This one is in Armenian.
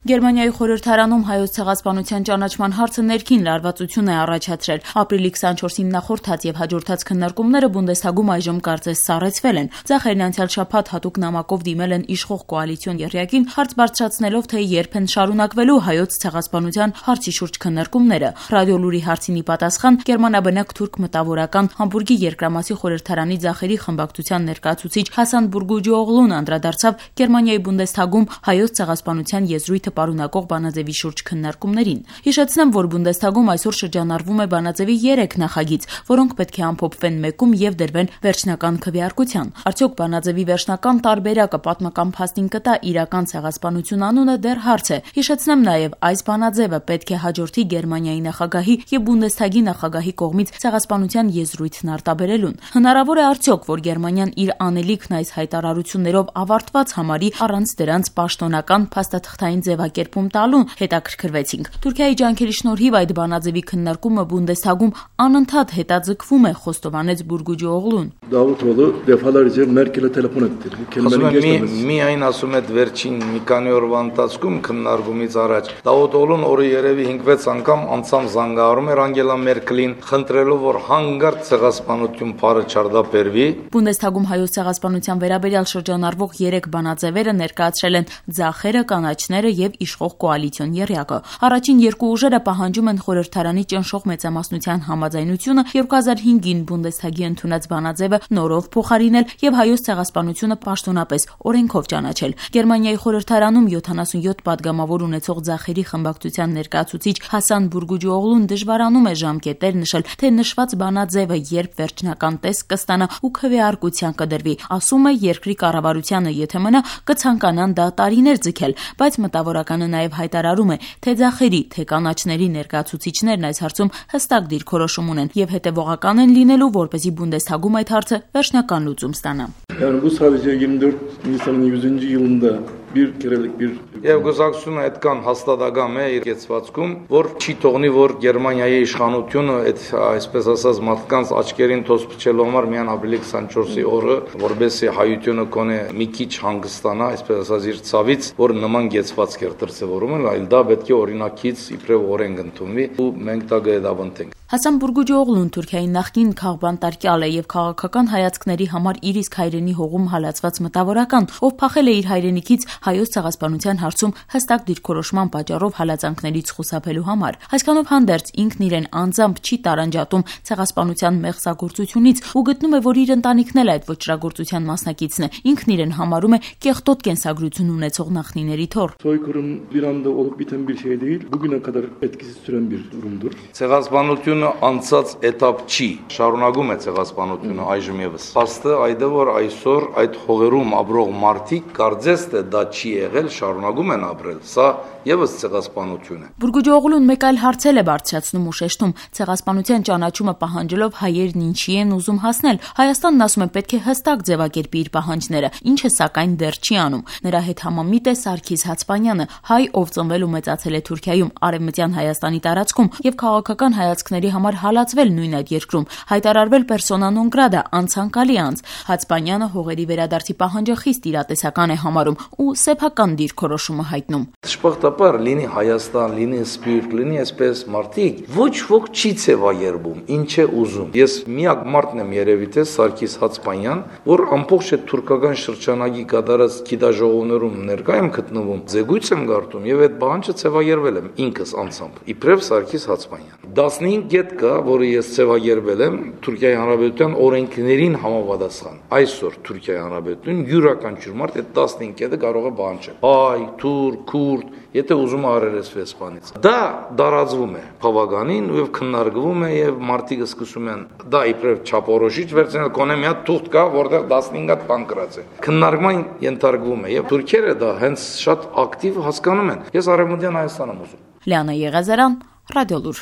Գերմանիայի խորհրդարանում հայոց ցեղասպանության ճանաչման հարցը ներքին լարվածություն է առաջացրել։ Ապրիլի 24-ին նախորդած եւ հաջորդած քննարկումները Բունդեսթագում այժմ կարծես սառեցվել են։ Ձախերն անցյալ շաբաթ հատուկ նամակով դիմել են իշխող կոալիցիոն եռյակին, հարց բարձրացնելով, թե երբ են շարունակվելու հայոց ցեղասպանության հարցի շուրջ քննարկումները։ Ռադիոլուրի հարցին ի պատասխան գերմանաբնակ թուրք մտավորական Համբուրգի երկրամասի խորհրդարանի ձախերի խմբակցության ներկայացուցիչ Հասան Բուրգուջօղլուն անդրադարձավ Գերմանիայի Բունդեսթագում հայոց ցեղասպանության եզրույթը պարունակող բանաձևի շուրջ քննարկումներին։ Հիշեցնեմ, որ Բունդեսթագում այսօր շրջանառվում է բանաձևի 3 նախագիծ, որոնք պետք է ամփոփվեն մեկում եւ դրվեն վերջնական քվեարկության։ Արդյոք բանաձևի վերջնական տարբերակը պատմական փաստին կտա իրական ցեղասպանություն անունը դեռ հարց է։ Հիշեցնեմ նաեւ, այս բանաձևը պետք է հաջորդի Գերմանիայի նախագահի եւ Բունդեսթագի նախագահի կողմից ցեղասպանության եզրույթն արտաբերելուն։ Հնարավոր է արդյոք, որ Գերմանիան իր անելիքն այս հայտարարություններով ավարտված համարի առանց դրանց պաշտոնական փաստաթղթային ձևակերպում տալու, հետաքրքրվեցինք։ Թուրքիայի ջանքերի շնորհիվ այդ բանաձևի քննարկումը Բունդեսթագում անընդհատ հետաձգվում է, խոստովանեց Բուրգուջօղլուն։ Դավութովը դեֆալարիզը Մերկելը տելեֆոն է միայն ասում է վերջին մի քանի օրվա ընթացքում քննարկումից առաջ Դավութովն օրը երևի 5-6 անգամ անցամ զանգահարում էր Անգելա Մերկելին, խնդրելով, որ հանգարտ ցեղասպանություն բառը չարդապերվի։ Բունդեսթագում հայոց ցեղասպանության վերաբերյալ շրջանառվող 3 բանաձևերը ներկայացրել են ձախերը, կանաչները եւ իշխող կոալիցիոն եռյակը։ Առաջին 2 ուժերը պահանջում են խորհրդարանի ճնշող մեծամասնության համաձայնությունը 2005-ին Բունդեսթագի ընդունած բանաձևը նորով փոխարինել եւ հայոց ցեղասպանությունը պաշտոնապես օրենքով ճանաչել։ Գերմանիայի խորհրդարանում 77 падգամավոր ունեցող ձախերի խմբակցության ներկայացուցիչ Հասան Բուրգուջօղլուն դժվարանում է ժամկետեր նշել, թե նշված բանաձևը երբ վերջնական տեսք կստանա ու քվեարկության կդրվի։ Ասում է, երկրի կառավարությանը եթե մնա կցանկանան դա տարիներ ձգել, բայց մտավորականը նաև հայտարարում է, թե ձախերի, թե կանաչների ներկայացուցիչներն այս հարցում հստակ դիրքորոշում ունեն եւ հետեւողական են լինելու, որպեսզի Բունդեսթագում այդ հարցը վերջնական լուծում ստանա։ Yani bu sadece 24 Nisan'ın 100. yılında bir kerelik bir Եվ գոզակցությունը այդքան հաստատակամ է իր կեցվածքում, որ չի թողնի, որ Գերմանիայի իշխանությունը այդ այսպես ասած մարդկանց աչքերին թոս փչելու համար միան ապրիլի 24-ի օրը, որբեսի հայությունը կոնե մի քիչ հանգստանա, այսպես ասած իր ցավից, որ նման կեցվածք էր դրսևորում են, այլ դա պետք է օրինակից իբրև օրենք ընդունվի ու մենք դա գեդավնտենք։ Հասան Բուրգուջօղլուն Թուրքիայի նախկին քաղբանտարկյալ է եւ քաղաքական հայացքների համար իր իսկ հայրենի հողում հալածված մտավորական, ով փախել է իր հայրենիքից հայոց ցեղասպանության հարցում հստակ դիրքորոշման պատճառով հալածանքներից խուսափելու համար։ Այսքանով հանդերձ ինքն իրեն անձամբ չի տարանջատում ցեղասպանության մեղսագործությունից ու գտնում է, որ իր ընտանիքն էլ այդ ոճրագործության մասնակիցն է։ Ինքն իրեն համարում է կեղտոտ կենսագրություն ունեցող նախնիների թոռ։ Soykırım bir anda olup biten bir şey değil. Bugüne kadar etkisiz süren bir durumdur. Ցեղասպանությունը անցած էտապ չի, շարունակում է ցեղասպանությունը այժմ եւս։ Փաստը այդ է, որ այսօր այդ հողերում ապրող մարդիկ կարծես թե դա չի եղել, շարունակում են ապրել։ Սա եւս ցեղասպանություն է։ Բուրգուջօղլուն մեկ այլ հարցել է բարձրացնում ու շեշտում. ցեղասպանության ճանաչումը պահանջելով հայերն ինչի են ուզում հասնել։ Հայաստանն ասում է պետք է հստակ ձևակերպի իր պահանջները, ինչը սակայն դեռ չի անում։ Նրա հետ համամիտ է Սարգիս Հացպանյանը, հայ, ով ծնվել ու մեծացել է Թուրքիայում, արևմտյան Հայաստանի տարածքում եւ քաղաքական հայացքների համար հալածվել նույն այդ երկրում, հայտարարվել persona non grata, անցանկալի անձ։ Հացպանյանը հողերի վերադարձի պահանջը խիստ իրատեսական է համարում ու սեփական դիրքորոշումը հայտնում։ Շփոթաբար լինի Հայաստան, լինի Սփյուռք, լինի այսպես մարդիկ, ոչ ոք չի ցեվայերբում, ինչ է ուզում։ Ես միակ մարդն եմ երևի թե Սարգիս Հացպանյան, որ ամբողջ այդ թուրքական շրջանագի կատարած գիտաժողովներում ներկա եմ գտնվում, զեկույց եմ գարտում եւ այդ բանջը ցեվայերվել եմ ինքս անձամբ։ Իբրև Սարգիս Հացպանյան 15 կետ կա, որը ես ցեվայերվել եմ Թուրքիայի Հանրապետության օրենքներին համապատասխան։ Այսօր Թուրքիայի Հանրապետություն յուրաքանչյուր մարդ այդ 15 կետը կարող է բանջել։ Հայ, թուրք, քուրդ, եթե ուզում արերեսվի Իսպանից։ Դա դարածվում է բավականին եւ քննարկվում է եւ մարդիկ սկսում են դա իբրև չափորոշիչ վերցնել, կոնե մի հատ թուղթ կա, որտեղ 15 հատ բան գրած է։ Քննարկման ենթարկվում է եւ թուրքերը դա հենց շատ ակտիվ հասկանում են։ Ես արևմտյան Հայաստան եմ ուզում։ Լիանա Եղազարյան, Ռադիոլուր։